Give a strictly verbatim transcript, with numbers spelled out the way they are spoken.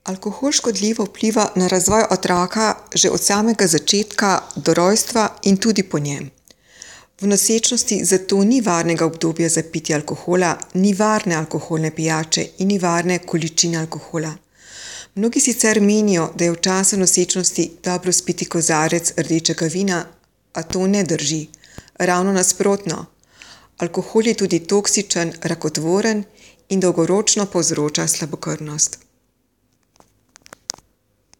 Alkohol škodljivo vpliva na razvoj otroka že od samega začetka do rojstva in tudi po njem. V nosečnosti zato ni varnega obdobja za pitje alkohola, ni varne alkoholne pijače in ni varne količine alkohola. Mnogi sicer menijo, da je v času nosečnosti dobro spiti kozarec rdečega vina, a to ne drži. Ravno nasprotno. Alkohol je tudi toksičen, rakotvoren in dolgoročno povzroča slabokrvnost.